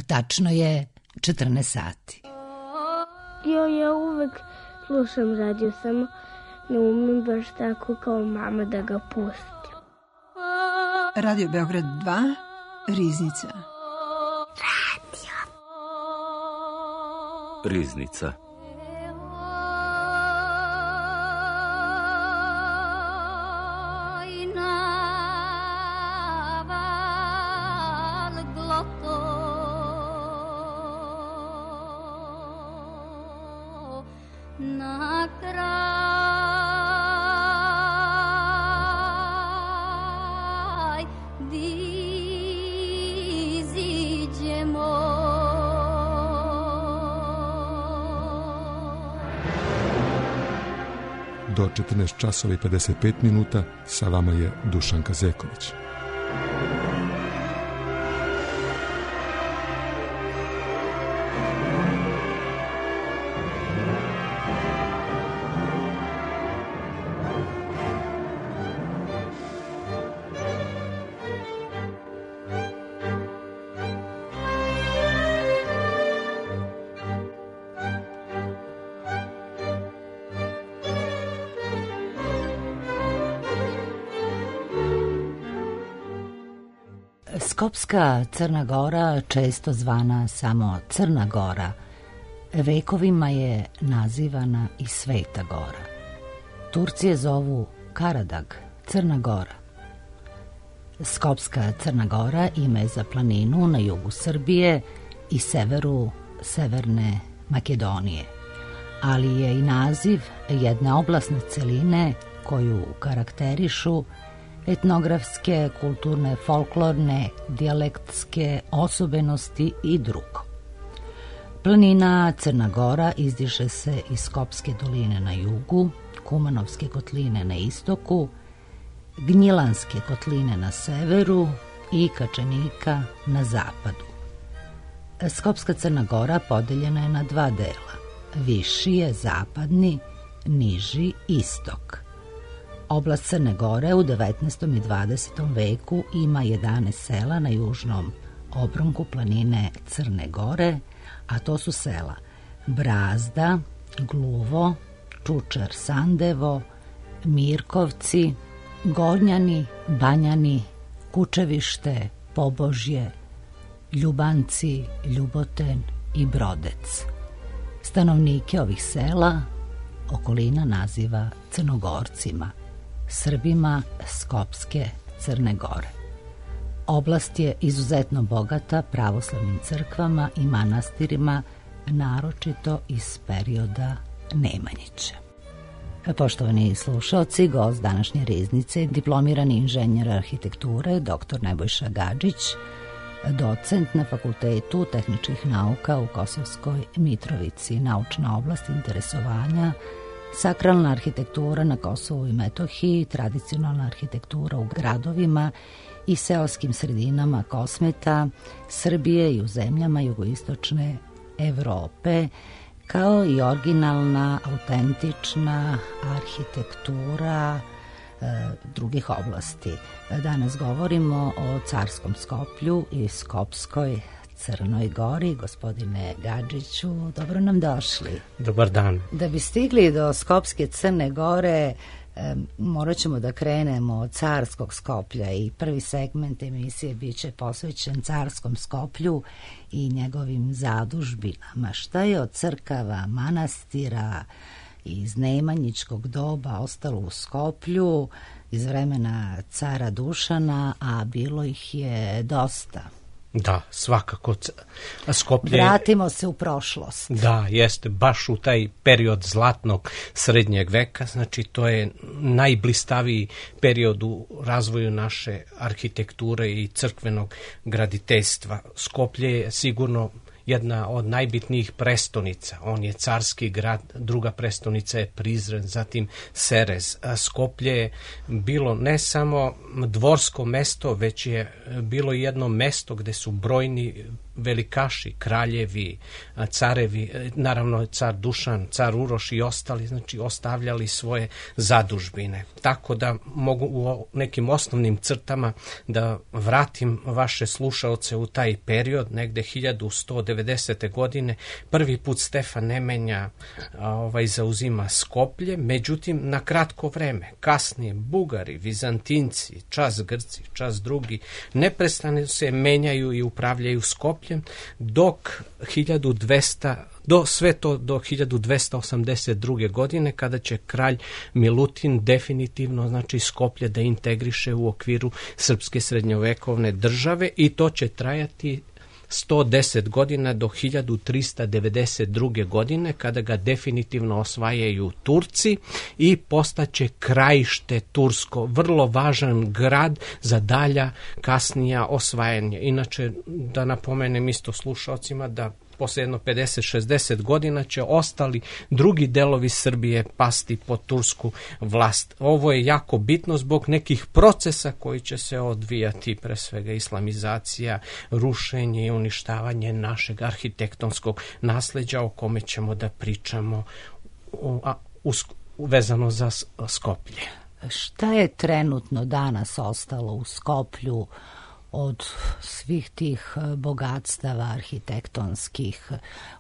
Tačno je 14 sati. Ja uvek slušam radio, samo ne umem baš tako kao mama da ga pustim. Radio Beograd 2, Riznica. Riznica. Do 14 časova i 55 minuta sa vama je Dušanka Zeković. Skopska Crna Gora, često zvana samo Crna Gora, vekovima je nazivana i Sveta Gora. Turci je zovu Karadag, Crna Gora. Skopska Crna Gora ime je za planinu na jugu Srbije i severu Severne Makedonije, ali je i naziv jedne oblasne celine koju karakterišu etnografske, kulturne, folklorne, dijalektske osobenosti i drugo. Planina Crna Gora izdiže se iz Skopske doline na jugu, Kumanovske kotline na istoku, Gnjilanske kotline na severu i Kačanika na zapadu. Skopska Crna Gora podeljena je na dva dela. Viši je zapadni, niži istok. Oblast Crne Gore u 19. i 20. veku ima 11 sela na južnom obronku planine Crne Gore, a to su sela Brazda, Gluvo, Čučar Sandevo, Mirkovci, Gornjani, Banjani, Kučevište, Pobožje, Ljubanci, Ljuboten i Brodec. Stanovnike ovih sela okolina naziva Crnogorcima, Srbima Skopske Crne Gore. Oblast je izuzetno bogata pravoslavnim crkvama i manastirima, naročito iz perioda Nemanjića. Poštovani slušalci, gost današnje Riznice, diplomirani inženjer arhitekture, dr. Nebojša Gadžić, docent na Fakultetu tehničkih nauka u Kosovskoj Mitrovici, naučna oblast interesovanja, sakralna arhitektura na Kosovu i Metohiji, tradicionalna arhitektura u gradovima i seoskim sredinama Kosmeta, Srbije i u zemljama jugoistočne Evrope, kao i originalna, autentična arhitektura drugih oblasti. Danas govorimo o Carskom Skoplju i Skopskoj Crnoj Gori. Gospodine Gadžiću, dobro nam došli. Dobar dan. Da bi stigli do Skopske Crne Gore, morat ćemo da krenemo od Carskog Skoplja i prvi segment emisije bit će posvećen Carskom Skoplju i njegovim zadužbinama. Šta je od crkava, manastira iz nemanjičkog doba ostalo u Skoplju iz vremena cara Dušana, a bilo ih je dosta. Da, svakako. Skoplje... Vratimo se u prošlost. Da, jeste, baš u taj period zlatnog srednjeg veka, znači to je najblistaviji period u razvoju naše arhitekture i crkvenog graditeljstva. Skoplje je sigurno jedna od najbitnijih prestonica. On je carski grad, druga prestonica je Prizren, zatim Serez. Skoplje je bilo ne samo dvorsko mesto, već je bilo jedno mesto gde su brojni velikaši, kraljevi, carevi, naravno car Dušan, car Uroš i ostali, znači ostavljali svoje zadužbine. Tako da mogu u nekim osnovnim crtama da vratim vaše slušaoce u taj period, negde 1190. godine. Prvi put Stefan Nemanja zauzima Skoplje, međutim na kratko vreme. Kasnije Bugari, Vizantinci, čas Grci, čas drugi, neprestano se menjaju i upravljaju Skopljem, dok 1282. godine, kada će kralj Milutin definitivno, znači, Skoplje da integriše u okviru srpske srednjovekovne države, i to će trajati 110 godina do 1392. godine, kada ga definitivno osvajaju Turci i postaće krajište tursko, vrlo važan grad za dalja kasnija osvajanje. Inače, da napomenem isto slušalcima da posle jedno 50-60 godina će ostali drugi delovi Srbije pasti pod tursku vlast. Ovo je jako bitno zbog nekih procesa koji će se odvijati, pre svega islamizacija, rušenje i uništavanje našeg arhitektonskog nasleđa, o kome ćemo da pričamo vezano za Skoplje. Šta je trenutno danas ostalo u Skoplju od svih tih bogatstava arhitektonskih?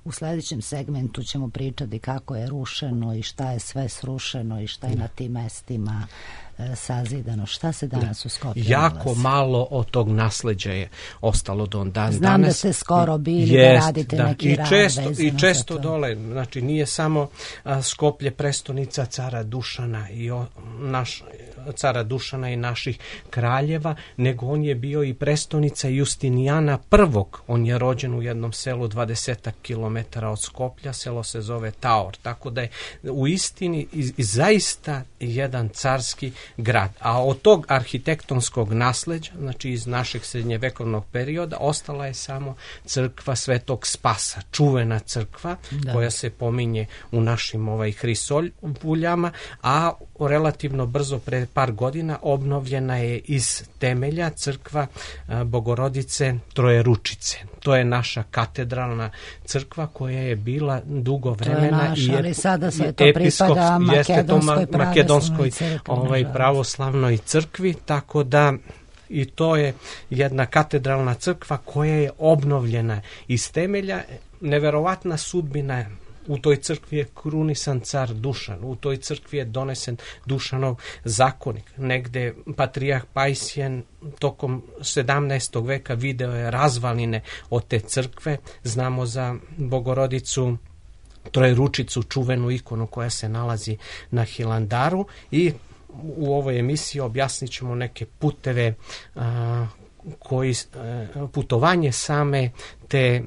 U sledećem segmentu ćemo pričati kako je rušeno i šta je sve srušeno i šta je na tim mestima sazidano. Šta se danas u Skoplju jako nalazi? Malo od tog nasleđa je ostalo do danas. Znam da ste skoro bili da radite neki rad vezano i često dole. Znači, nije samo Skoplje prestonica cara Dušana cara Dušana i naših kraljeva, nego on je bio i prestonica Justinijana I. On je rođen u jednom selu 20 kilometara od Skoplja, selo se zove Taor, tako da je u istini zaista jedan carski grad. A od tog arhitektonskog nasleđa, znači iz našeg srednjevekovnog perioda, ostala je samo crkva Svetog Spasa, čuvena crkva koja se pominje u našim hrisoljama, a relativno brzo, pre par godina, obnovljena je iz temelja crkva Bogorodice Trojeručice. To je naša katedralna crkva koja je bila dugo vremena. To je naša, ali sada se to pripada makedonskoj pravoslavnoj crkvi, tako da i to je jedna katedralna crkva koja je obnovljena iz temelja. Neverovatna sudbina. U toj crkvi je krunisan car Dušan, u toj crkvi je donesen Dušanov zakonik. Negde patrijarh Pajsjen tokom 17. veka video je razvaline od te crkve. Znamo za Bogorodicu Trojeručicu, čuvenu ikonu koja se nalazi na Hilandaru, i u ovoj emisiji objasnit ćemo neke puteve putovanje same te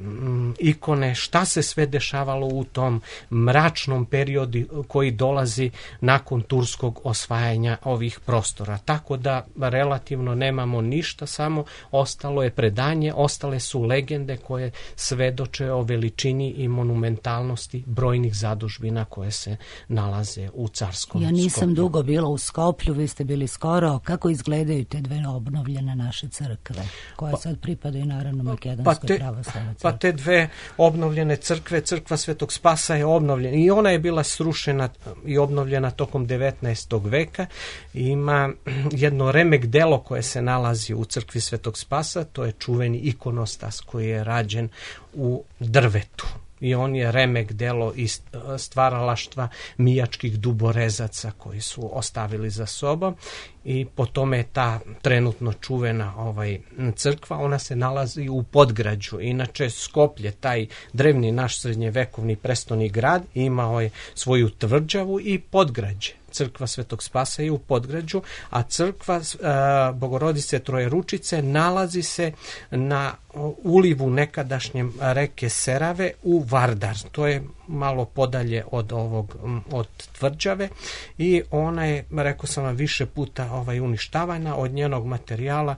ikone, šta se sve dešavalo u tom mračnom periodu koji dolazi nakon turskog osvajanja ovih prostora. Tako da relativno nemamo ništa, samo ostalo je predanje, ostale su legende koje svedoče o veličini i monumentalnosti brojnih zadužbina koje se nalaze u carskom Skoplju. Ja nisam dugo bila u Skoplju, vi ste bili skoro. Kako izgledaju te dve obnovljene naše crkve, koje sad pripadaju naravno makedonskoj pravoslavnoj? Pa te dve obnovljene crkve, crkva Svetog Spasa je obnovljena i ona je bila srušena i obnovljena tokom 19. veka. Ima jedno remek delo koje se nalazi u crkvi Svetog Spasa, to je čuveni ikonostas koji je rađen u drvetu. I on je remek delo iz stvaralaštva mijačkih duborezaca koji su ostavili za sobom, i po tome je ta trenutno čuvena crkva. Ona se nalazi u Podgrađu. Inače, Skoplje, taj drevni naš srednjevekovni prestolni grad, imao je svoju tvrđavu i Podgrađe. Crkva Svetog Spasa je u Podgrađu, a crkva Bogorodice Trojeručice nalazi se na ulivu nekadašnjem reke Serave u Vardar. To je malo podalje od tvrđave, i ona je, rekao sam vam, više puta uništavana. Od njenog materijala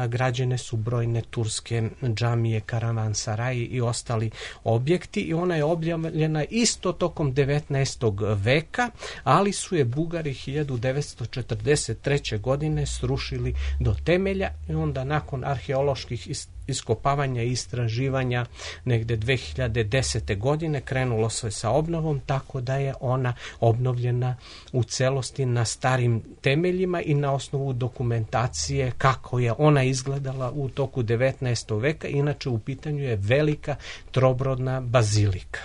građene su brojne turske džamije, karavansaraji i ostali objekti, i ona je objavljena isto tokom 19. veka, ali su je Bugari 1943. godine srušili do temelja i onda nakon arheoloških iskopavanja i istraživanja negde 2010. godine krenulo se sa obnovom, tako da je ona obnovljena u celosti na starim temeljima i na osnovu dokumentacije kako je ona izgledala u toku 19. veka. Inače u pitanju je velika trobrodna bazilika.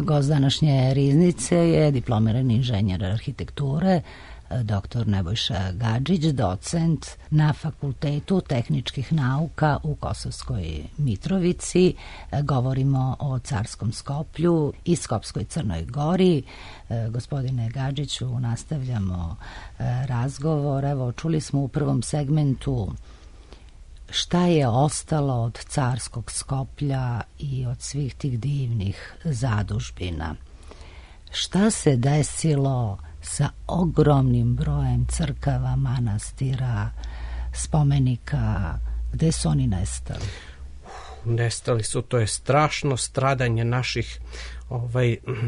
Gost današnje riznice je diplomirani inženjer arhitekture, dr. Nebojša Gadžić, docent na Fakultetu tehničkih nauka u Kosovskoj Mitrovici. Govorimo o Carskom Skoplju i Skopskoj Crnoj Gori. Gospodine Gadžiću, nastavljamo razgovor. Evo, čuli smo u prvom segmentu šta je ostalo od Carskog Skoplja i od svih tih divnih zadužbina. Šta se desilo sa ogromnim brojem crkava, manastira, spomenika, gde su oni nestali? Nestali su, to je strašno stradanje naših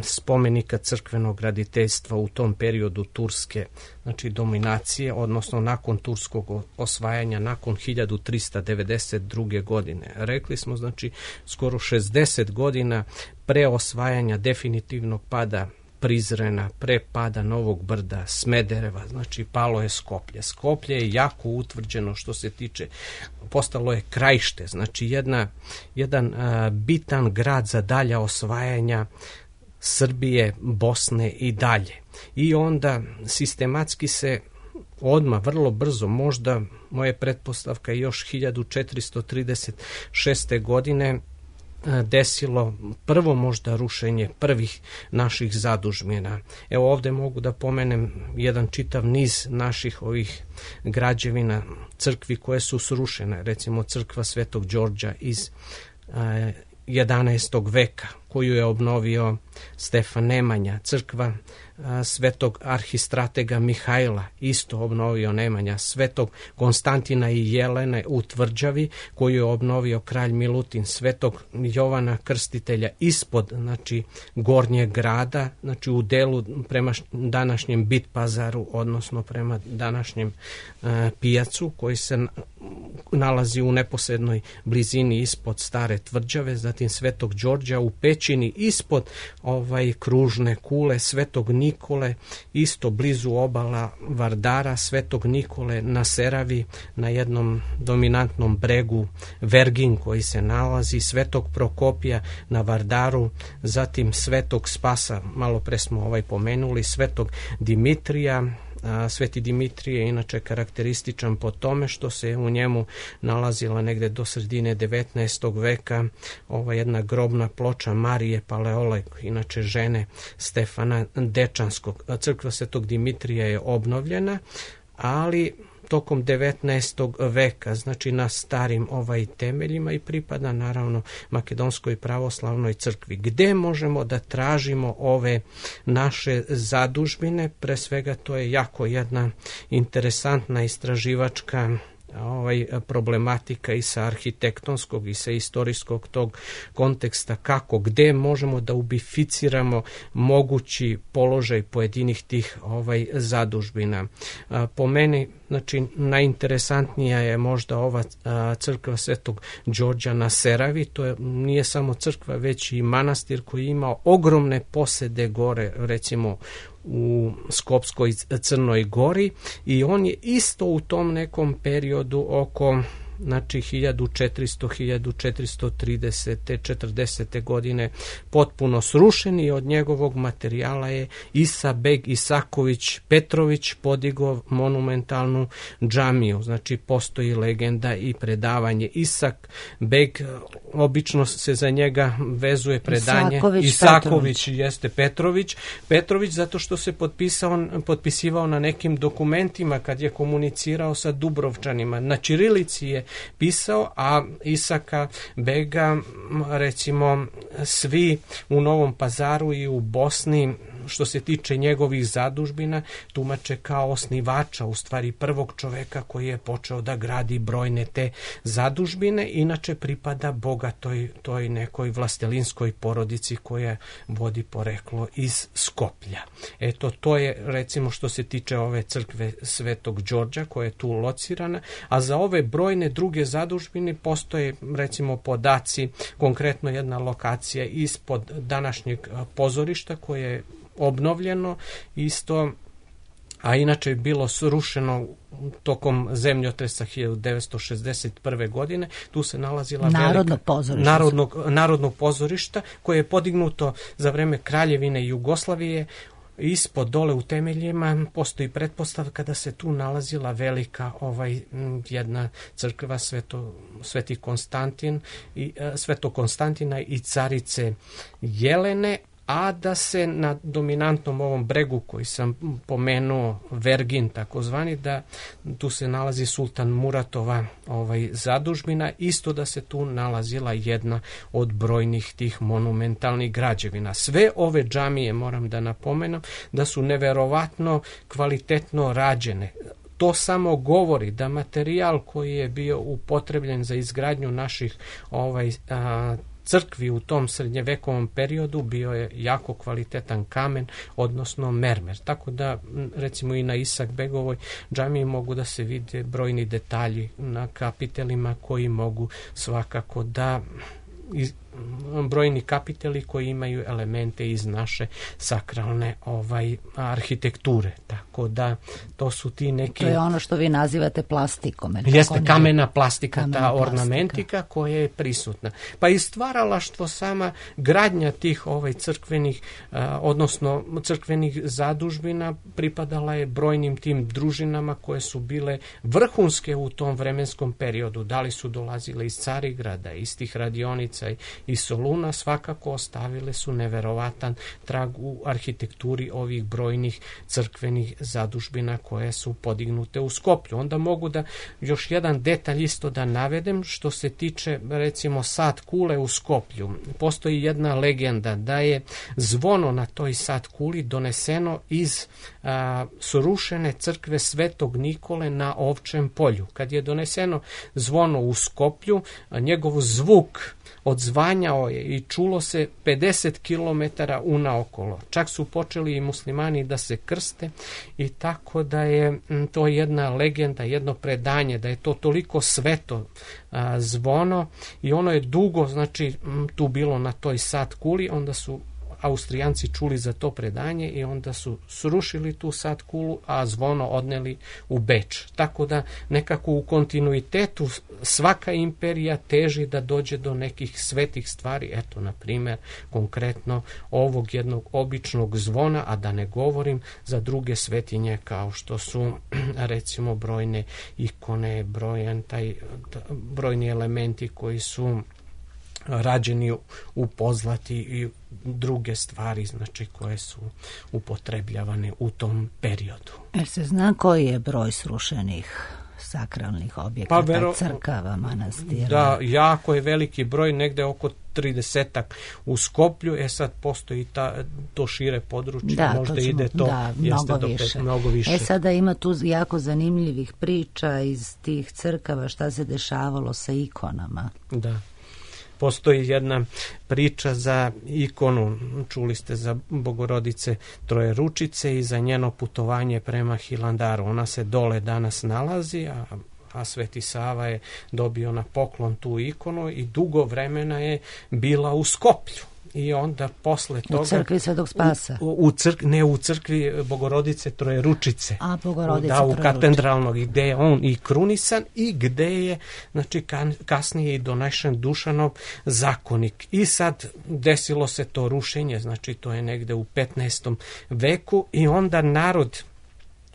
spomenika crkvenog graditeljstva u tom periodu turske, znači dominacije, odnosno nakon turskog osvajanja, nakon 1392. godine. Rekli smo, znači, skoro 60 godina pre osvajanja definitivnog pada Prizrena, pre pada Novog Brda, Smedereva, znači palo je Skoplje. Skoplje je jako utvrđeno što se tiče, postalo je krajište, znači jedan bitan grad za dalja osvajanja Srbije, Bosne i dalje. I onda sistematski se odmah, vrlo brzo, možda moje pretpostavka još 1436. godine desilo prvo možda rušenje prvih naših zadužbina. Evo ovde mogu da pomenem jedan čitav niz naših ovih građevina, crkvi koje su srušene, recimo crkva Svetog Đorđa iz 11. veka koju je obnovio Stefan Nemanja, crkva Svetog arhistratega Mihajla, isto obnovio Nemanja, Svetog Konstantina i Jelene u Tvrđavi koju je obnovio kralj Milutin, Svetog Jovana Krstitelja ispod, znači, Gornjeg grada, znači u delu prema današnjem Bit pazaru, odnosno prema današnjem pijacu koji se nalazi u neposrednoj blizini ispod Stare Tvrđave, zatim Svetog Đorđa u pećini ispod kružne kule, Svetog Nikole isto blizu obala Vardara, Svetog Nikole na Seravi na jednom dominantnom bregu Vergin koji se nalazi, Svetog Prokopija na Vardaru, zatim Svetog Spasa, malo pre smo pomenuli, Svetog Dimitrija. Sveti Dimitrije je inače karakterističan po tome što se u njemu nalazila negde do sredine 19. veka jedna grobna ploča Marije Paleolog, inače žene Stefana Dečanskog. Crkva Svetog Dimitrija je obnovljena, ali tokom 19. veka, znači na starim temeljima i pripada naravno Makedonskoj pravoslavnoj crkvi. Gde možemo da tražimo ove naše zadužbine? Pre svega to je jako jedna interesantna istraživačka problematika i sa arhitektonskog i sa istorijskog tog konteksta, kako, gde možemo da ubificiramo mogući položaj pojedinih tih zadužbina. Po meni, znači, najinteresantnija je možda ova crkva Svetog Đorđa na Seravi. To nije samo crkva, već i manastir koji ima ogromne posede gore, recimo u Skopskoj Crnoj Gori, i on je isto u tom nekom periodu oko, znači, 1430. 40. godine potpuno srušen, i od njegovog materijala je Isa beg Isaković Petrović podigao monumentalnu džamiju. Znači, postoji legenda i predavanje. Isak beg, obično se za njega vezuje predanje Isaković jeste Petrović, zato što se potpisivao na nekim dokumentima kad je komunicirao sa Dubrovčanima. Na ćirilici je pisao, a Isaka bega, recimo, svi u Novom Pazaru i u Bosni, što se tiče njegovih zadužbina, tumače kao osnivača, u stvari prvog čoveka koji je počeo da gradi brojne te zadužbine. Inače pripada bogatoj toj nekoj vlastelinskoj porodici koja vodi poreklo iz Skoplja. Eto, to je, recimo, što se tiče ove crkve Svetog Đorđa koja je tu locirana, a za ove brojne druge zadužbine postoje, recimo, podaci, konkretno jedna lokacija ispod današnjeg pozorišta koje je obnovljeno isto, a inače je bilo srušeno tokom zemljotresa 1961. godine. Tu se nalazila Narodnog pozorišta koje je podignuto za vreme Kraljevine Jugoslavije. Ispod, dole u temeljima, postoji pretpostavka da se tu nalazila velika jedna crkva Svetog Konstantina i carice Jelene, a da se na dominantnom ovom bregu koji sam pomenuo, Vergin takozvani, da tu se nalazi Sultan Muratova zadužbina, isto da se tu nalazila jedna od brojnih tih monumentalnih građevina. Sve ove džamije, moram da napomenem, da su neverovatno kvalitetno rađene. To samo govori da materijal koji je bio upotrebljen za izgradnju naših crkvi u tom srednjevekovom periodu bio je jako kvalitetan kamen, odnosno mermer. Tako da, recimo, i na Isak begovoj džamiji mogu da se vide brojni detalji na kapitelima koji mogu svakako da brojni kapiteli koji imaju elemente iz naše sakralne arhitekture. Tako da to su ti neki... To je ono što vi nazivate plastikom. Jeste kamena plastika, ta ornamentika koja je prisutna. Pa i stvaralaštvo, sama gradnja tih crkvenih, odnosno crkvenih zadužbina pripadala je brojnim tim družinama koje su bile vrhunske u tom vremenskom periodu. Da li su dolazile iz Carigrada, iz tih radionica i Soluna, svakako ostavile su neverovatan trag u arhitekturi ovih brojnih crkvenih zadužbina koje su podignute u Skoplju. Onda mogu da još jedan detalj isto da navedem što se tiče, recimo, sad kule u Skoplju. Postoji jedna legenda da je zvono na toj sad kuli doneseno iz srušene crkve Svetog Nikole na Ovčem polju. Kad je doneseno zvono u Skoplju, njegov zvuk odzvanjao je i čulo se 50 km unaokolo. Čak su počeli i muslimani da se krste, i tako da je to jedna legenda, jedno predanje, da je to toliko sveto zvono, i ono je dugo, znači, tu bilo na toj sad kuli. Onda su Austrijanci čuli za to predanje i onda su srušili tu sad kulu, a zvono odneli u Beč. Tako da nekako u kontinuitetu svaka imperija teži da dođe do nekih svetih stvari. Eto, na primjer, konkretno ovog jednog običnog zvona, a da ne govorim za druge svetinje kao što su, recimo, brojne ikone, brojni elementi koji su rađeni u pozlati i druge stvari, znači, koje su upotrebljavane u tom periodu. Jer se zna koji je broj srušenih sakralnih objekata, crkava, manastira? Da, jako je veliki broj, negde oko 30 u Skoplju, sad postoji to šire područje, možda ide to mnogo više. Sada ima tu jako zanimljivih priča iz tih crkava šta se dešavalo sa ikonama. Da. Postoji jedna priča za ikonu, čuli ste za Bogorodice Trojeručice i za njeno putovanje prema Hilandaru. Ona se dole danas nalazi, a Sveti Sava je dobio na poklon tu ikonu i dugo vremena je bila u Skoplju. I onda posle toga... U crkvi Svetog Spasa? Ne, u crkvi Bogorodice Trojeručice. Bogorodice u katedralnog, gde je on i krunisan i gde je, znači, kasnije i donešen Dušanov zakonik. I sad desilo se to rušenje, znači to je negde u 15. veku i onda narod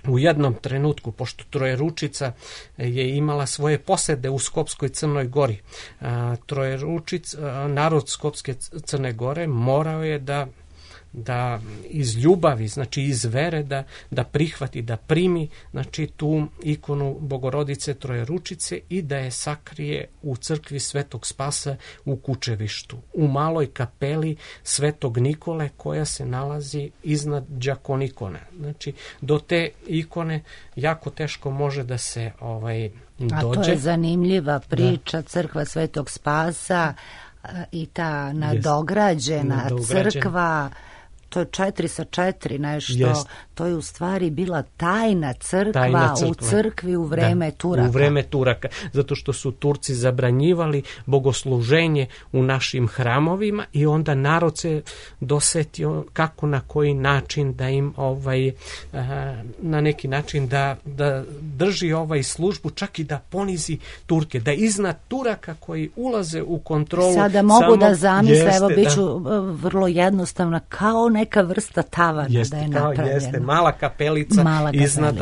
u jednom trenutku, pošto Trojeručica je imala svoje posede u Skopskoj Crnoj Gori, narod Skopske Crne Gore morao je da iz ljubavi, znači iz vere, da prihvati, da primi, znači, tu ikonu Bogorodice Trojeručice i da je sakrije u crkvi Svetog Spasa u Kučevištu, u maloj kapeli Svetog Nikole koja se nalazi iznad đakonikone. Znači, do te ikone jako teško može da se dođe. A to je zanimljiva priča, crkva Svetog Spasa i ta nadograđena crkva. To je 4 sa 4 nešto, to je u stvari bila tajna crkva u crkvi u vreme Turaka. U vreme Turaka, zato što su Turci zabranjivali bogosluženje u našim hramovima i onda narod se dosetio kako, na koji način da im na neki način da drži službu, čak i da ponizi Turke, da iznad Turaka koji ulaze u kontrolu. Sada mogu da zamisle, evo biću vrlo jednostavna, kao neka vrsta tavana da je napravljena. Jeste, mala kapelica iznad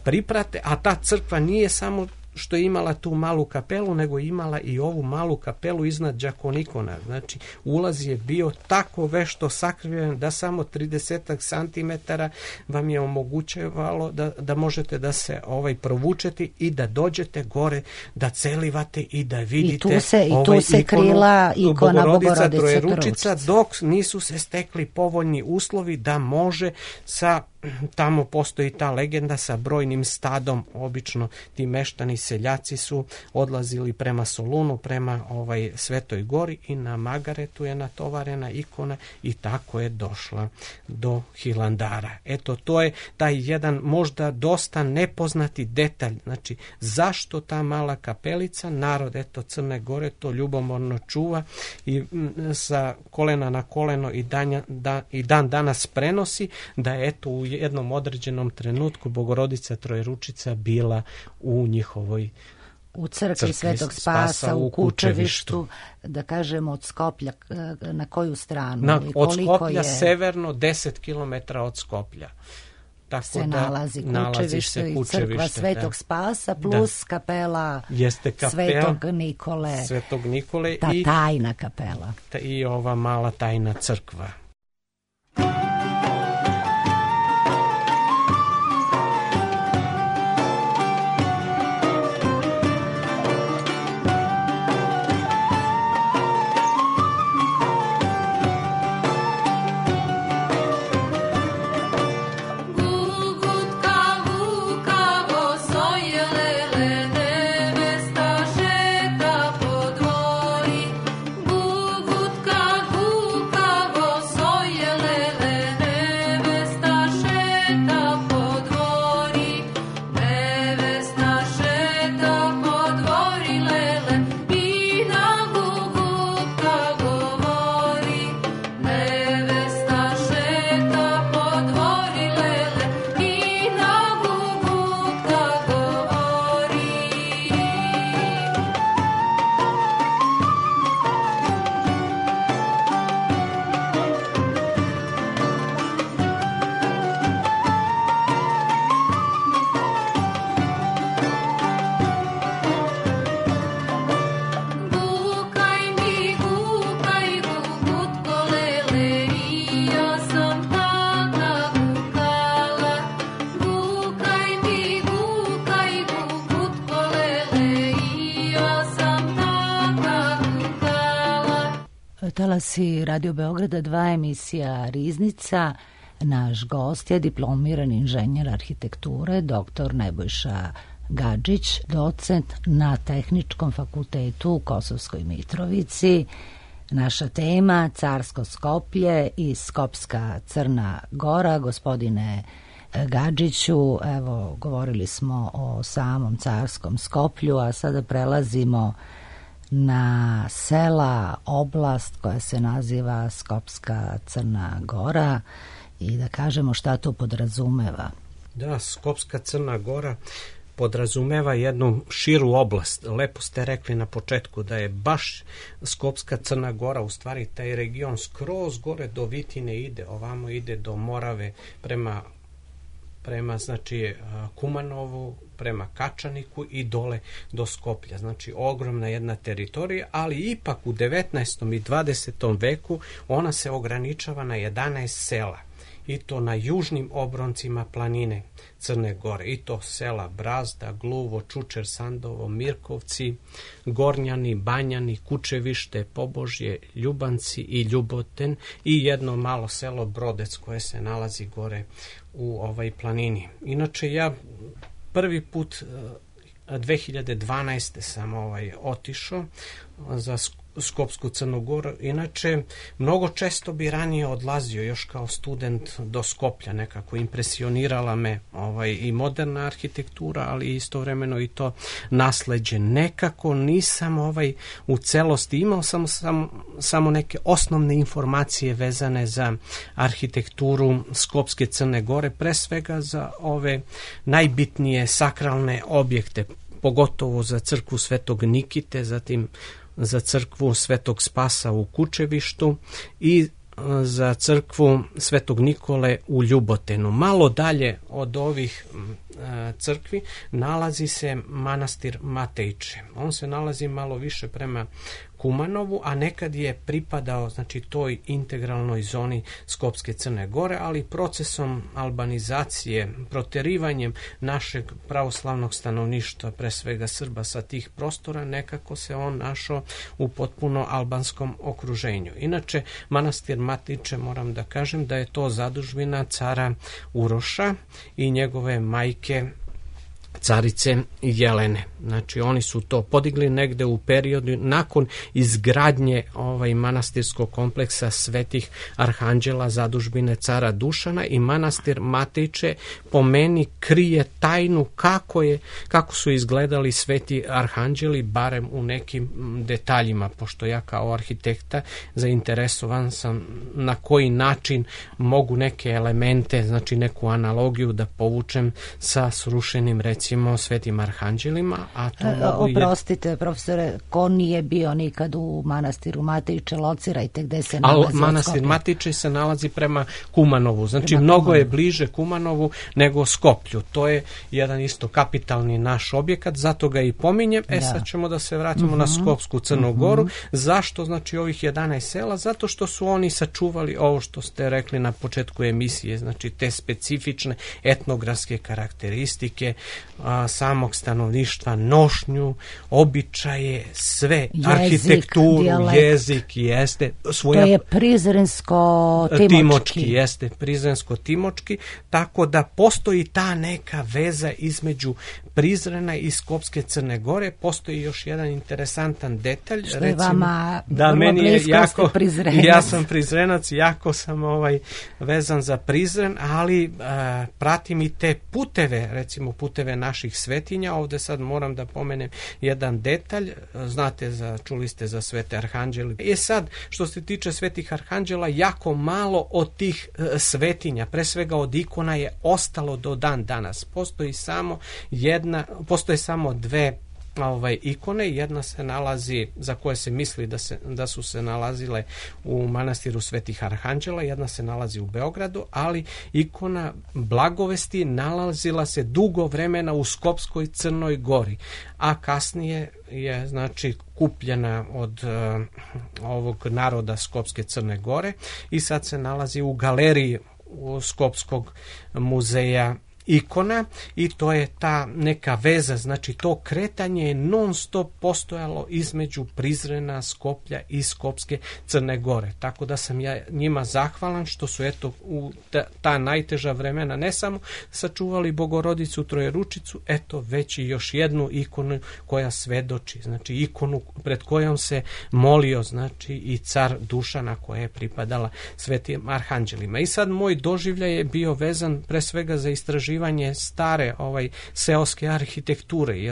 priprate, a ta crkva nije samo što je imala tu malu kapelu, nego imala i ovu malu kapelu iznad đakonikona. Znači, ulaz je bio tako vešto sakriven da samo 30 santimetara vam je omogućavalo da možete da se provučete i da dođete gore, da celivate i da vidite I tu se krila ikona Bogorodice Trojeručica, dok nisu se stekli povoljni uslovi da može tamo postoji ta legenda sa brojnim stadom, obično ti meštani seljaci su odlazili prema Solunu, prema Svetoj Gori i na Magaretu je natovarena ikona i tako je došla do Hilandara. Eto, to je taj jedan možda dosta nepoznati detalj. Znači, zašto ta mala kapelica? Narod, Crne Gore to ljubomorno čuva i sa kolena na koleno i dan danas prenosi da je u jednom određenom trenutku Bogorodica Trojeručica bila u njihovoj u crkvi Svetog Spasa u Kučevištu, da kažemo od Skoplja, na koju stranu? Od Skoplja severno 10 km od Skoplja. Tako se nalazi Kučevište i crkva Svetog Spasa plus kapela Svetog Nikole, ta tajna kapela. I ova mala tajna crkva. So talasi Radio Beograda 2 emisija Riznica. Naš gost je diplomirani inženjer arhitekture, dr. Nebojša Gadžić, docent na Tehničkom fakultetu u Kosovskoj Mitrovici. Naša tema Carsko Skoplje i Skopska Crna Gora. Gospodine Gadžiću, evo, govorili smo o samom Carskom Skoplju, a sada prelazimo na sela, oblast koja se naziva Skopska Crna Gora i da kažemo šta to podrazumeva. Da, Skopska Crna Gora podrazumeva jednu širu oblast. Lepo ste rekli na početku da je baš Skopska Crna Gora, u stvari taj region skroz gore do Vitine ide, ovamo ide do Morave prema znači Kumanovu, prema Kačaniku i dole do Skoplja. Znači ogromna jedna teritorija, ali ipak u 19. i 20. veku ona se ograničava na 11 sela. I to na južnim obroncima planine Crne Gore. I to sela Brazda, Gluvo, Čučer, Sandovo, Mirkovci, Gornjani, Banjani, Kučevište, Pobožje, Ljubanci i Ljuboten i jedno malo selo Brodec koje se nalazi gore u ovoj planini. Inače, ja prvi put 2012. sam otišao za Skopsku Crnu Goru. Inače, mnogo često bi ranije odlazio još kao student do Skoplja, nekako impresionirala me i moderna arhitektura, ali istovremeno i to nasleđe. Nekako nisam u celosti imao samo neke osnovne informacije vezane za arhitектuru Skopske Crne Gore, pre svega za ove najbitnije sakralne objekte, pogotovo za crkvu Svetog Nikite, zatim za crkvu Svetog Spasa u Kučevištu i za crkvu Svetog Nikole u Ljubotenu. Malo dalje od ovih crkvi nalazi se manastir Matejče. On se nalazi malo više prema Kumanovu, a nekad je pripadao znači toj integralnoj zoni Skopske Crne Gore, ali procesom albanizacije, proterivanjem našeg pravoslavnog stanovništva, pre svega Srba sa tih prostora, nekako se on našao u potpuno albanskom okruženju. Inače, manastir Matejče, moram da kažem da je to zadužbina cara Uroša i njegove majke carice Jelene. Znači oni su to podigli negde u periodu nakon izgradnje manastirskog kompleksa Svetih Arhanđela, zadužbine cara Dušana, i manastir Matejče po meni krije tajnu kako su izgledali Sveti Arhanđeli, barem u nekim detaljima, pošto ja kao arhitekta zainteresovan sam na koji način mogu neke elemente, znači neku analogiju da povučem sa srušenim recimo Svetim Arhanđelima, a to oprostite, profesore, ko nije bio nikad u manastiru Matejče, locirajte gde se nalazi. Manastir Matejče se nalazi prema Kumanovu, znači mnogo je bliže Kumanovu nego Skoplju. To je jedan isto kapitalni naš objekat, zato ga i pominjem. Sad ćemo da se vratimo na Skopsku Crnu Goru. Zašto znači ovih 11 sela? Zato što su oni sačuvali ovo što ste rekli na početku emisije, znači te specifične etnografske karakteristike samog stanovništva, nošnju, običaje, sve, arhitekturu, jezik, jeste. To je Prizrensko-Timočki. Jeste, Prizrensko-Timočki, tako da postoji ta neka veza između Prizrena i Skopske Crne Gore. Postoji još jedan interesantan detalj. Što je vama meni je jako, Prizrenac. Ja sam Prizrenac, jako sam vezan za Prizren, ali pratim i te puteve, recimo puteve naših svetinja. Ovde sad moram da pomenem jedan detalj. Znate, čuli ste za Svete Arhanđele. Sad, što se tiče Svetih Arhanđela, jako malo od tih svetinja, pre svega od ikona, je ostalo do dan danas. Postoje samo dve ikone. Jedna se nalazi, za koje se misli da su se nalazile u manastiru Svetih Arhanđela, jedna se nalazi u Beogradu, ali ikona Blagovesti nalazila se dugo vremena u Skopskoj Crnoj Gori, a kasnije je znači kupljena od ovog naroda Skopske Crne Gore i sad se nalazi u galeriji Skopskog muzeja ikona i to je ta neka veza, znači to kretanje je non stop postojalo između Prizrena, Skoplja i Skopske Crne Gore. Tako da sam ja njima zahvalan što su eto u ta najteža vremena ne samo sačuvali Bogorodicu Trojeručicu, eto već i još jednu ikonu koja svedoči, znači ikonu pred kojom se molio znači i car Dušana koja je pripadala svetim arhanđelima. I sad moj doživljaj je bio vezan pre svega za istraživanje stare seoske arhitekture.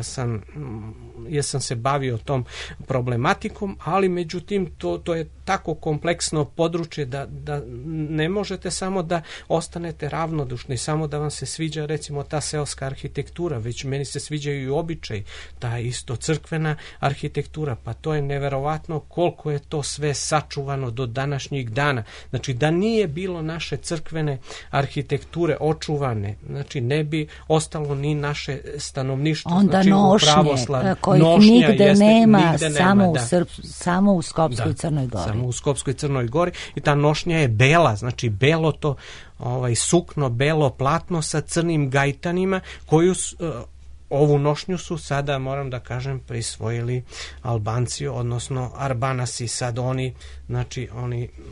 Ja sam se bavio tom problematikom, ali međutim to je tako kompleksno područje da ne možete samo da ostanete ravnodušni, samo da vam se sviđa recimo ta seoska arhitektura, već meni se sviđaju i običaj, ta isto crkvena arhitektura, pa to je neverovatno koliko je to sve sačuvano do današnjih dana. Znači da nije bilo naše crkvene arhitekture očuvane, znači ne bi ostalo ni naše stanovništvo. Onda znači, nošnje, kojih nigde nema, samo u Skopskoj Crnoj Gori. Samo u Skopskoj Crnoj Gori i ta nošnja je bela, znači belo to sukno, belo platno sa crnim gajtanima koju ovu nošnju su sada, moram da kažem, prisvojili Albanci, odnosno Arbanasi. Sad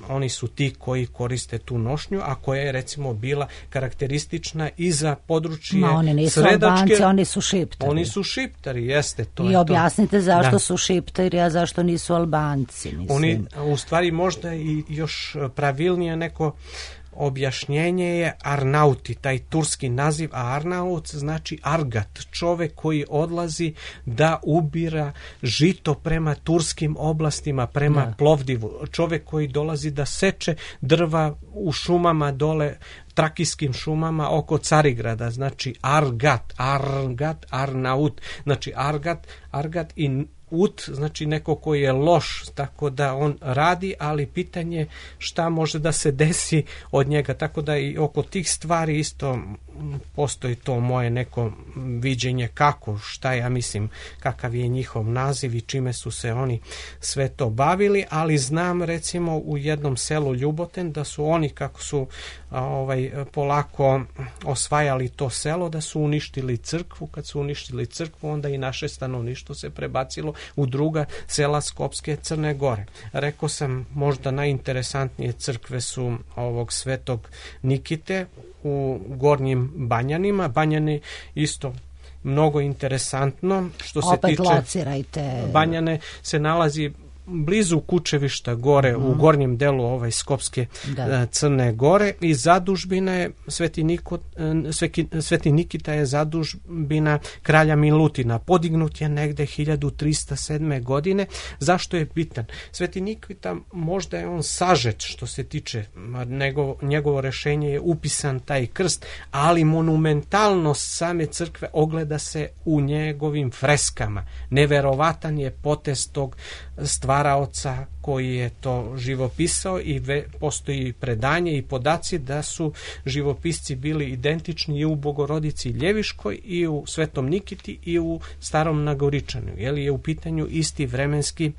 oni su ti koji koriste tu nošnju, a koja je recimo bila karakteristična i za područje oni nisu Sredačke. Albanci, oni su Šiptari. Oni su Šiptari, jeste. To I je objasnite to. zašto su Šiptari, a zašto nisu Albanci. Mislim. Oni, u stvari možda i još pravilnije neko objašnjenje je Arnauti, taj turski naziv, a Arnaut znači Argat, čovek koji odlazi da ubira žito prema turskim oblastima, prema Plovdivu, čovek koji dolazi da seče drva u šumama dole, trakijskim šumama oko Carigrada, znači Argat, Arnaut, znači Argat i Ut, znači neko koji je loš, tako da on radi, ali pitanje šta može da se desi od njega, tako da i oko tih stvari isto postoji to moje neko viđenje kako, šta ja mislim, kakav je njihov naziv i čime su se oni sve to bavili, ali znam recimo u jednom selu Ljuboten da su oni kako su polako osvajali to selo, da su uništili crkvu. Kad su uništili crkvu, onda i naše stanovništvo se prebacilo u druga sela Skopske Crne Gore. Rekao sam, možda najinteresantnije crkve su ovog Svetog Nikite u Gornjim Banjanima. Banjani isto mnogo interesantno. Što se opet tiče locirajte. Banjane se nalazi blizu Kučevišta gore u gornjem delu Skopske Crne Gore i zadužbina je Sveti Nikita je zadužbina kralja Milutina. Podignut je negde 1307. godine. Zašto je bitan? Sveti Nikita, možda je on sažet što se tiče, njegovo rešenje je upisan taj krst, ali monumentalnost same crkve ogleda se u njegovim freskama. Neverovatan je potez tog stvaraoca koji je to živopisao i postoji predanje i podaci da su živopisci bili identični i u Bogorodici Ljeviškoj i u Svetom Nikiti i u Starom Nagoričanu, jer je u pitanju isti vremenski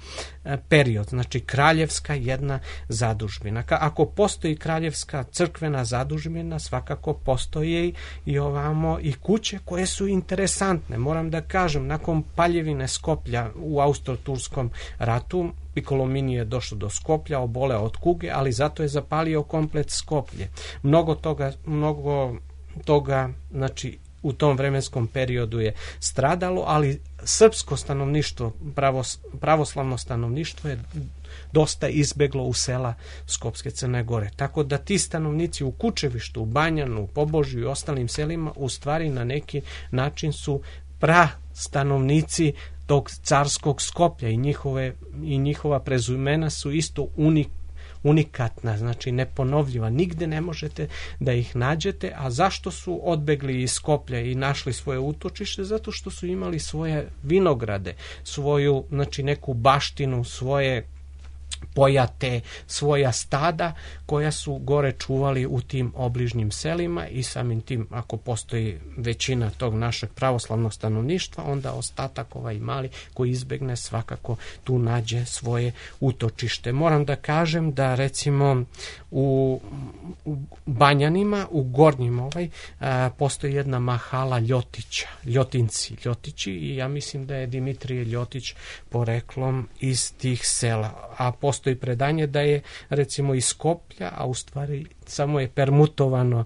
period, znači kraljevska jedna zadužbina. Ako postoji kraljevska crkvena zadužbina, svakako postoje i ovamo i kuće koje su interesantne. Moram da kažem, nakon paljevine Skoplja u Austro-Turskom ratu, Piccolomini je došao do Skoplja, oboleo od kuge, ali zato je zapalio komplet Skoplje. Mnogo toga, znači u tom vremenskom periodu je stradalo, ali srpsko stanovništvo, pravoslavno stanovništvo je dosta izbeglo u sela Skopske Crne Gore. Tako da ti stanovnici u Kučevištu, u Banjanu, u Pobožju i ostalim selima u stvari na neki način su stanovnici tog carskog Skoplja i njihova prezimena su isto unikatna, znači neponovljiva. Nigde ne možete da ih nađete. A zašto su odbegli iz Skoplja i našli svoje utočište? Zato što su imali svoje vinograde, svoju, znači neku baštinu, svoje pojate svoja stada koja su gore čuvali u tim obližnjim selima i samim tim ako postoji većina tog našeg pravoslavnog stanovništva, onda ostatak ovaj mali koji izbegne svakako tu nađe svoje utočište. Moram da kažem da recimo u Banjanima, u Gornjim postoji jedna mahala Ljotići i ja mislim da je Dimitrije Ljotić poreklom iz tih sela, a postoji predanje da je recimo iz Skoplja, a u stvari samo je permutovano,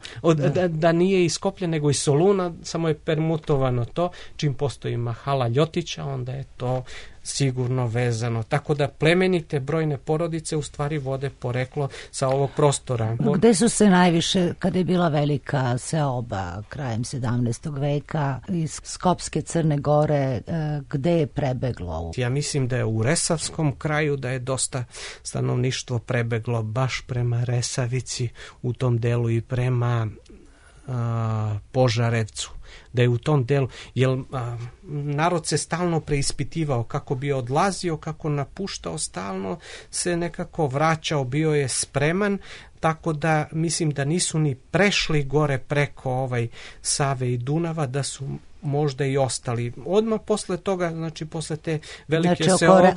da nije iz Skoplja nego iz Soluna, samo je permutovano to, čim postoji mahala Ljotića, onda je to sigurno vezano. Tako da plemenite brojne porodice u stvari vode poreklo sa ovog prostora. Gde su se najviše, kada je bila velika seoba krajem 17. veka iz Skopske Crne Gore, gde je prebeglo? Ja mislim da je u Resavskom kraju da je dosta stanovništvo prebeglo baš prema Resavici u tom delu i prema Požarevcu, da je u tom delu, jer narod se stalno preispitivao kako bi odlazio, kako napuštao, stalno se nekako vraćao, bio je spreman, tako da mislim da nisu ni prešli gore preko Save i Dunava, da su možda i ostali. Odmah posle toga, znači posle te velike seobe,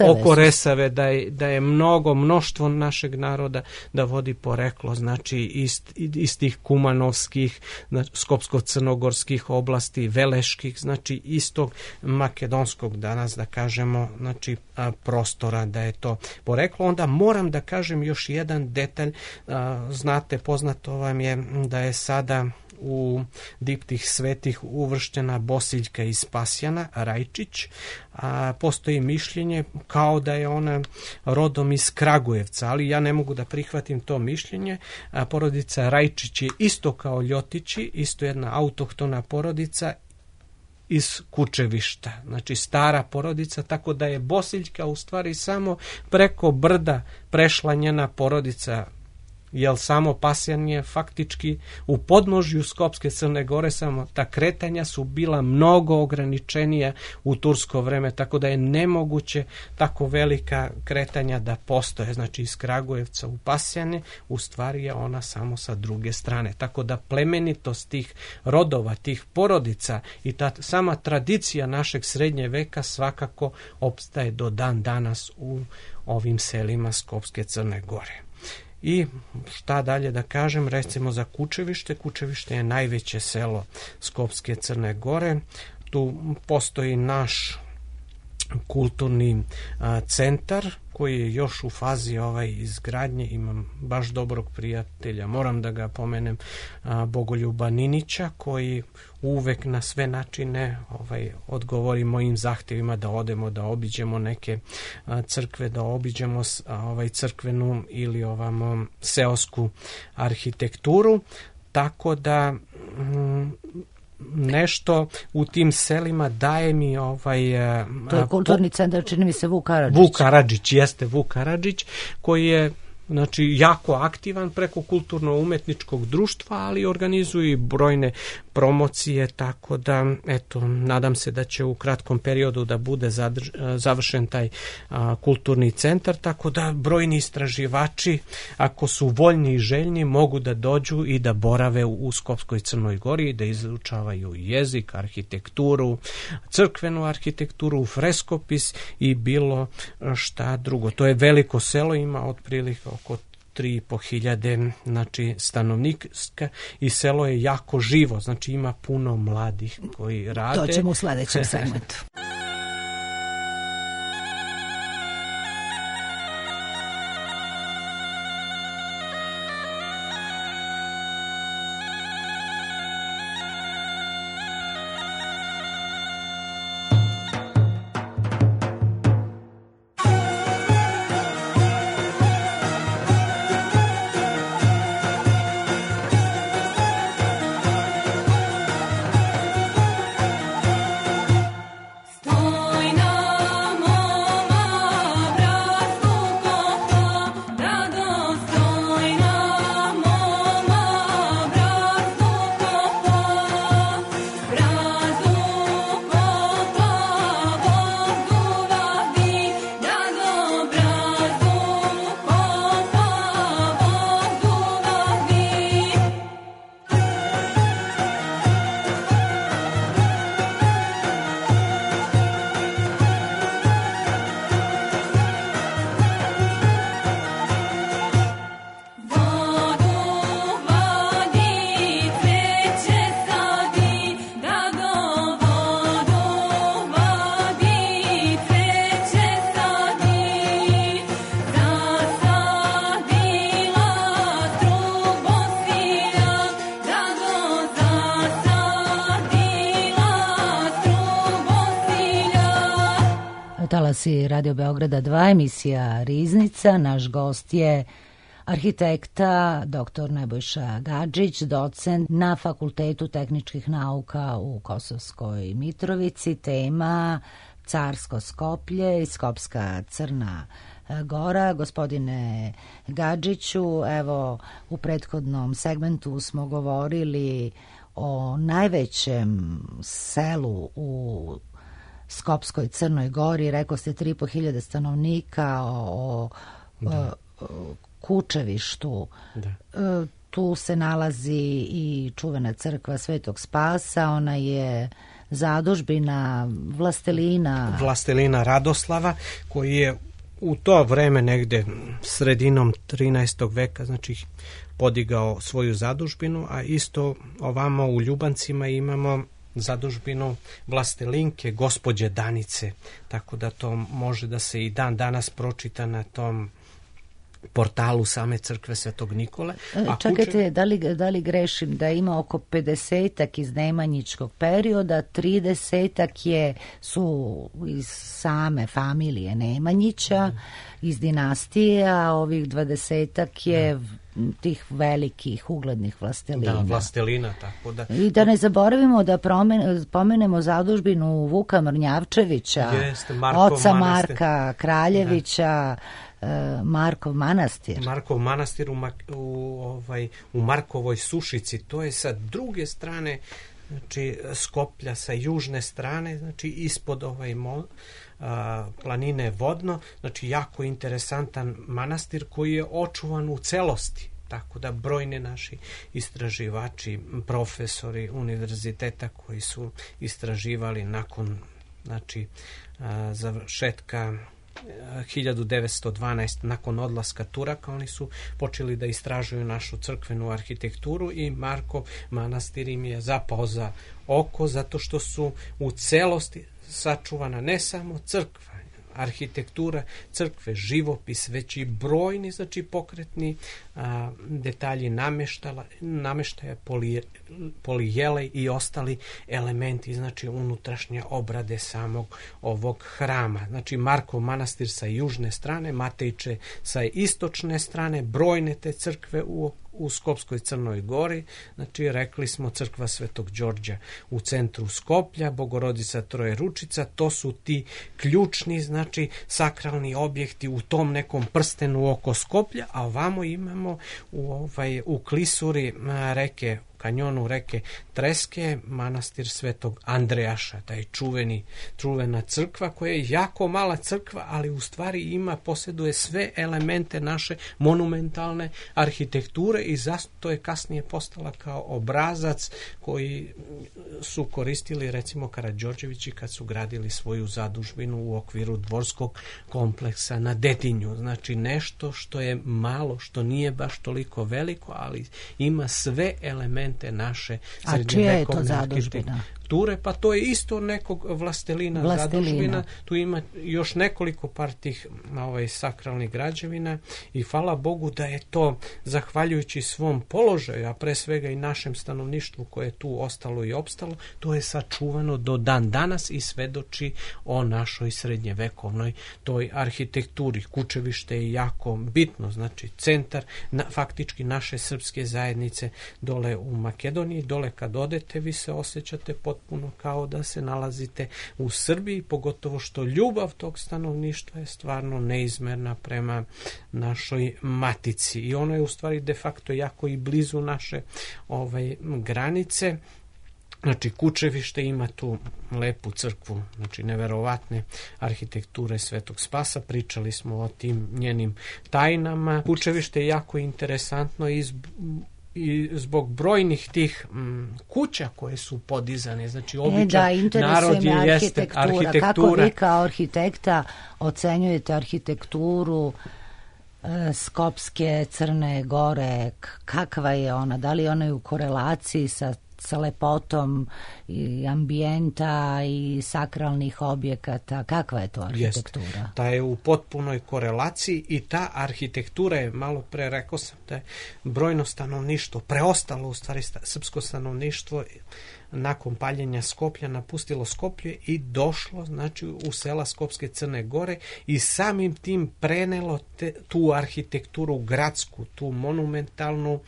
oko Resave, da je mnoštvo našeg naroda da vodi poreklo, znači iz tih kumanovskih, skopsko-crnogorskih oblasti, veleških, znači istog makedonskog danas, da kažemo, znači prostora, da je to poreklo. Onda moram da kažem još jedan detalj, znate, poznato vam je da je sada u diptih svetih uvrštena Bosiljka iz Pasjana, Rajčić, a postoji mišljenje kao da je ona rodom iz Kragujevca, ali ja ne mogu da prihvatim to mišljenje. Porodica Rajčić je isto kao Ljotići, isto jedna autohtona porodica iz Kučevišta, znači stara porodica, tako da je Bosiljka u stvari samo preko brda prešla njena porodica, jer samo Pasjan je faktički u podnožju Skopske Crne Gore, samo ta kretanja su bila mnogo ograničenija u tursko vreme, tako da je nemoguće tako velika kretanja da postoje, znači iz Kragujevca u Pasjane, u stvari je ona samo sa druge strane, tako da plemenitost tih rodova, tih porodica i ta sama tradicija našeg srednje veka svakako opstaje do dan danas u ovim selima Skopske Crne Gore. I šta dalje da kažem, recimo za Kučevište. Kučevište je najveće selo Skopske Crne Gore. Tu postoji naš kulturni centar koji je još u fazi izgradnje. Imam baš dobrog prijatelja, moram da ga pomenem, Bogoljuba Ninića, koji uvek na sve načine odgovori mojim zahtjevima da odemo, da obiđemo neke crkve, da obiđemo crkvenu ili seosku arhitekturu, tako da nešto u tim selima daje mi to je kulturni centar, čini mi se Vuk Karadžić, koji je znači jako aktivan preko kulturno-umetničkog društva, ali organizuje i brojne promocije, tako da eto, nadam se da će u kratkom periodu da bude završen taj kulturni centar, tako da brojni istraživači, ako su voljni i željni, mogu da dođu i da borave u Skopskoj Crnoj Gori, da izučavaju jezik, arhitekturu, crkvenu arhitekturu, freskopis i bilo šta drugo. To je veliko selo, ima otprilike oko 3.500 znači stanovnika i selo je jako živo, znači ima puno mladih koji rade. To ćemo u sledećem segmentu. Stop. glasi Radio Beograda 2, emisija Riznica. Naš gost je arhitekta dr. Nebojša Gadžić, docent na Fakultetu tehničkih nauka u Kosovskoj Mitrovici. Tema Carsko Skoplje i Skopska Crna Gora. Gospodine Gadžiću, evo u prethodnom segmentu smo govorili o najvećem selu u Skopskoj Crnoj Gori, rekao ste 3.500 stanovnika, o Kučevištu. Tu se nalazi i čuvena crkva Svetog Spasa, ona je zadužbina vlastelina Radoslava, koji je u to vreme negde sredinom 13. veka, znači podigao svoju zadužbinu, a isto ovamo u Ljubancima imamo zadužbinu vlastelinke gospođe Danice, tako da to može da se i dan danas pročita na tom portalu same crkve Svetog Nikole. Čekajte, da li grešim da ima oko 50-ak iz Nemanjičkog perioda, 30-ak su iz same familije Nemanjića, iz dinastije, a ovih 20-ak je tih velikih uglednih vlastelina. Da, vlastelina, tako da. I da ne zaboravimo da pomenemo zadužbinu Vuka Mrnjavčevića, oca Marka Kraljevića, Markov manastir. Markov manastir u Markovoj Sušici, to je sa druge strane, znači Skoplja, sa južne strane, znači ispod planine Vodno, znači jako interesantan manastir koji je očuvan u celosti. Tako da brojni naši istraživači, profesori univerziteta koji su istraživali nakon završetka 1912, nakon odlaska Turaka, oni su počeli da istražuju našu crkvenu arhitekturu i Markov manastir im je zapao za oko, zato što su u celosti sačuvana ne samo crkva, arhitektura crkve, živopis, već i brojni, znači pokretni detalji nameštaja, polijelej i ostali elementi, znači unutrašnje obrade samog ovog hrama. Znači Markov manastir sa južne strane, Matejče sa istočne strane, brojne te crkve u Skopskoj Crnoj Gori, znači rekli smo crkva Svetog Đorđa u centru Skoplja, Bogorodica Trojeručica, to su ti ključni, znači sakralni objekti u tom nekom prstenu oko Skoplja, a ovamo imamo u klisuri reke, kanjonu reke Treske, manastir Svetog Andrejaša, taj čuvena crkva koja je jako mala crkva, ali u stvari posjeduje sve elemente naše monumentalne arhitekture i zato je kasnije postala kao obrazac koji su koristili recimo Karađorđevići kad su gradili svoju zadužbinu u okviru dvorskog kompleksa na Dedinju. Znači nešto što je malo, što nije baš toliko veliko, ali ima sve elemente naše srednjevekovne arhitekture, pa to je isto nekog vlastelina. Zadužbina, tu ima još nekoliko par tih sakralnih građevina i hvala Bogu da je to, zahvaljujući svom položaju, a pre svega i našem stanovništvu koje je tu ostalo i opstalo, to je sačuvano do dan danas i svedoči o našoj srednjevekovnoj toj arhitekturi. Kučevište je jako bitno, znači centar faktički naše srpske zajednice dole u Makedoniji. Dole kad odete vi se osjećate potpuno kao da se nalazite u Srbiji, pogotovo što ljubav tog stanovništva je stvarno neizmerna prema našoj matici i ono je u stvari de facto jako i blizu naše granice. Znači Kučevište ima tu lepu crkvu, znači neverovatne arhitekture Svetog Spasa, pričali smo o tim njenim tajnama. Kučevište je jako interesantno i zbog brojnih tih kuća koje su podizane, znači običan narod jeste arhitektura. Kako vi kao arhitekta ocenjujete arhitekturu Skopske Crne Gore, kakva je ona, da li ona je u korelaciji sa lepotom i ambijenta i sakralnih objekata, kakva je to arhitektura? Jeste. Ta je u potpunoj korelaciji i ta arhitektura je, malo pre rekao sam da je brojno stanovništvo, preostalo u stvari srpsko stanovništvo nakon paljenja Skoplja napustilo Skoplje i došlo znači u sela Skopske Crne Gore i samim tim prenelo tu arhitekturu gradsku, tu monumentalnu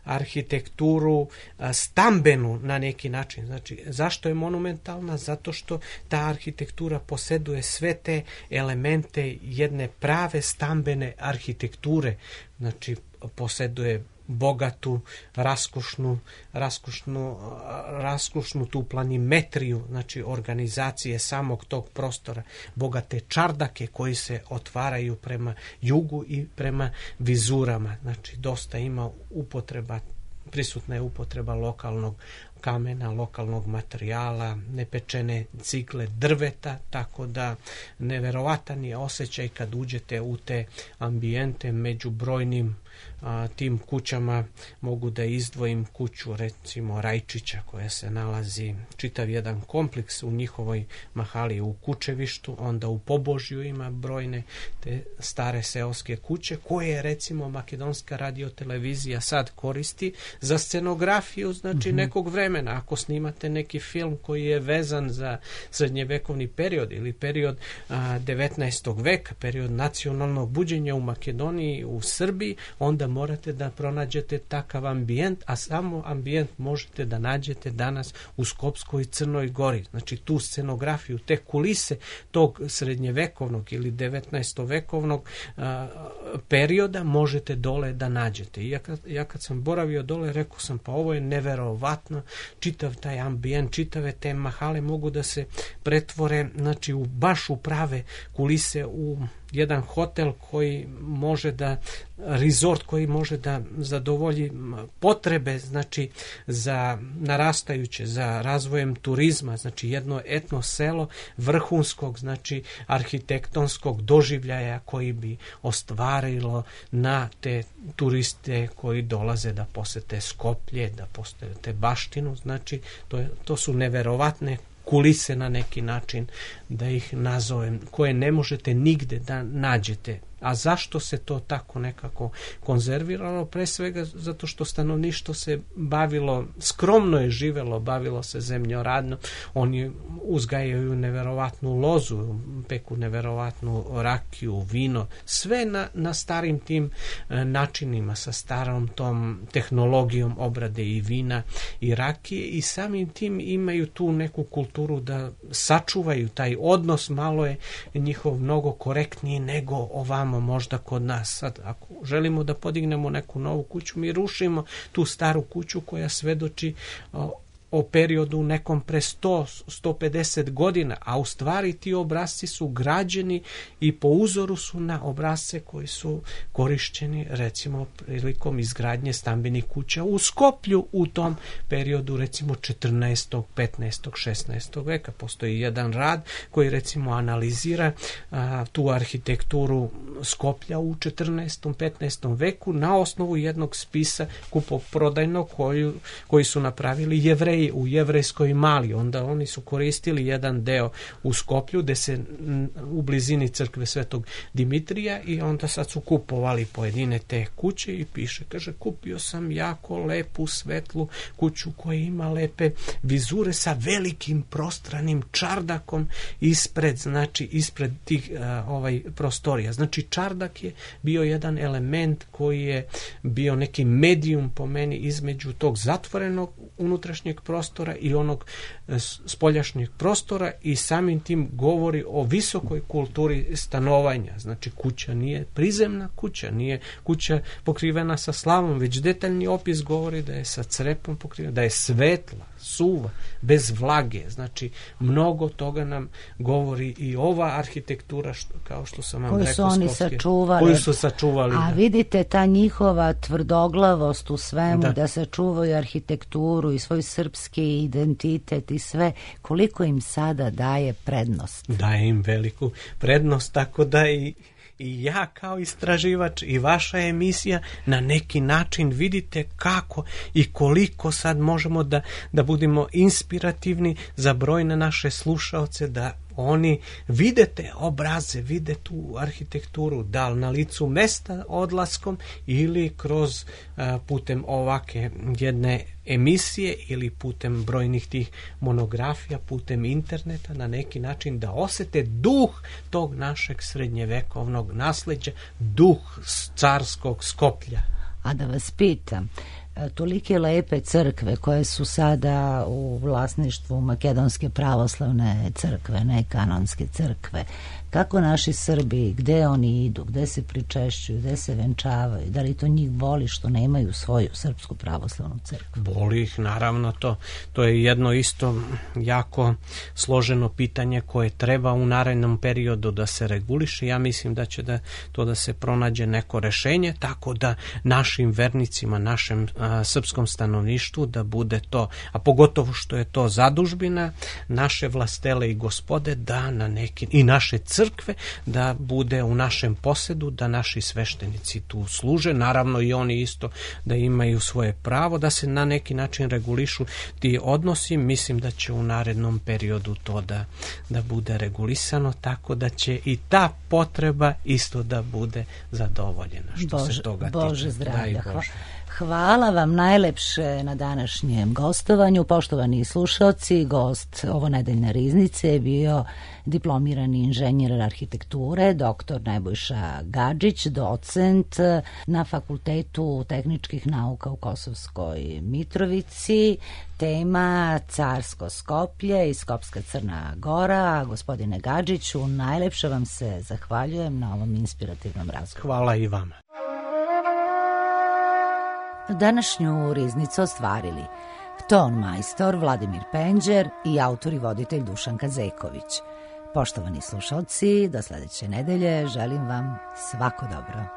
arhitekturu stambenu na neki način. Znači, zašto je monumentalna? Zato što ta arhitektura posjeduje sve te elemente jedne prave stambene arhitekture. Znači, posjeduje bogatu, raskošnu tu planimetriju, znači organizacije samog tog prostora, bogate čardake koji se otvaraju prema jugu i prema vizurama. Znači, dosta ima prisutna je upotreba lokalnog kamena, lokalnog materijala, nepečene cigle drveta, tako da neverovatan je osjećaj kad uđete u te ambijente među brojnim tim kućama. Mogu da izdvojim kuću recimo Rajčića koja se nalazi čitav jedan kompleks u njihovoj mahali u Kučevištu, onda u Pobožju ima brojne te stare seoske kuće koje recimo Makedonska radiotelevizija sad koristi za scenografiju, znači nekog vremena. Ako snimate neki film koji je vezan za srednjevekovni period ili period 19. veka, period nacionalnog buđenja u Makedoniji, u Srbiji, onda morate da pronađete takav ambijent, a samo ambijent možete da nađete danas u Skopskoj Crnoj Gori. Znači tu scenografiju, te kulise tog srednjevekovnog ili 19. vekovnog perioda možete dole da nađete. I ja kad sam boravio dole, rekao sam, pa ovo je neverovatno, čitav taj ambijent, čitave te mahale mogu da se pretvore, znači baš u prave kulise, u jedan hotel koji može da, resort koji može da zadovolji potrebe, znači za narastajuće, za razvojem turizma, znači jedno etno selo vrhunskog, znači arhitektonskog doživljaja koji bi ostvarilo na te turiste koji dolaze da posete Skoplje, da posete baštinu, znači to su neverovatne kulise na neki način, da ih nazovem, koje ne možete nigde da nađete. A zašto se to tako nekako konzerviralo? Pre svega zato što stanovništvo se bavilo, skromno je živelo, bavilo se zemljoradno. Oni uzgajaju neverovatnu lozu, peku neverovatnu rakiju, vino, sve na starim tim načinima, sa starom tom tehnologijom obrade i vina i rakije, i samim tim imaju tu neku kulturu da sačuvaju taj odnos. Malo je njihov mnogo korektniji nego ovamo možda kod nas. Sad, ako želimo da podignemo neku novu kuću, mi rušimo tu staru kuću koja svedoči o periodu nekom pre 100-150 godina, a u stvari ti obrazci su građeni i po uzoru su na obrazce koji su korišćeni recimo prilikom izgradnje stambenih kuća u Skoplju u tom periodu recimo 14., 15., 16. veka. Postoji jedan rad koji recimo analizira tu arhitekturu Skoplja u 14., 15. veku na osnovu jednog spisa kupoprodajnog koji su napravili Jevreji u jevrejskoj Mali. Onda oni su koristili jedan deo u Skoplju gde se u blizini crkve Svetog Dimitrija, i onda sad su kupovali pojedine te kuće i piše, kaže, kupio sam jako lepu svetlu kuću koja ima lepe vizure sa velikim prostranim čardakom ispred tih prostorija. Znači čardak je bio jedan element koji je bio neki medijum po meni između tog zatvorenog unutrašnjeg prostora i onog spoljašnjeg prostora, i samim tim govori o visokoj kulturi stanovanja. Znači kuća nije prizemna kuća, nije kuća pokrivena sa slavom, već detaljni opis govori da je sa crepom pokrivena, da je svetla, suva, bez vlage. Znači mnogo toga nam govori i ova arhitektura, kao što sam vam rekao, koju su sačuvali. A vidite ta njihova tvrdoglavost u svemu, da sačuvaju arhitekturu i svoj srpski identitet i sve, koliko im sada daje prednost? Daje im veliku prednost, tako da i ja kao istraživač i vaša emisija na neki način vidite kako i koliko sad možemo da budemo inspirativni za brojne naše slušaoce, da oni vide te obraze, vide tu arhitekturu, da li na licu mesta odlaskom ili kroz putem ovake jedne emisije ili putem brojnih tih monografija, putem interneta, na neki način da osete duh tog našeg srednjevekovnog nasleđa, duh carskog Skoplja. A da vas pitam, tolike lepe crkve koje su sada u vlasništvu Makedonske pravoslavne crkve, ne kanonske crkve, kako naši Srbi, gde oni idu, gde se pričešćuju, gde se venčavaju, da li to njih boli što nemaju svoju Srpsku pravoslavnu crkvu? Boli ih, naravno, to je jedno isto jako složeno pitanje koje treba u narednom periodu da se reguliše. Ja mislim da će da se pronađe neko rešenje, tako da našim vernicima, našem srpskom stanovništvu da bude to, a pogotovo što je to zadužbina, naše vlastele i gospode, da na neki, i naše crkve, da bude u našem posedu, da naši sveštenici tu služe, naravno i oni isto da imaju svoje pravo, da se na neki način regulišu ti odnosi. Mislim da će u narednom periodu to da bude regulisano, tako da će i ta potreba isto da bude zadovoljena. Što se toga tiče. Bože zdravlja. Hvala vam najlepše na današnjem gostovanju. Poštovani slušalci, gost ovonedeljne riznice je bio diplomirani inženjer arhitekture, doktor Nebojša Gadžić, docent na Fakultetu tehničkih nauka u Kosovskoj Mitrovici. Tema Carsko Skoplje i Skopska Crna Gora. Gospodine Gadžiću, najlepše vam se zahvaljujem na ovom inspirativnom razgovoru. Hvala i vama. Današnju riznicu ostvarili ton majstor Vladimir Penđer i autor i voditelj Dušan Kazeković. Poštovani slušalci, do sledeće nedelje želim vam svako dobro.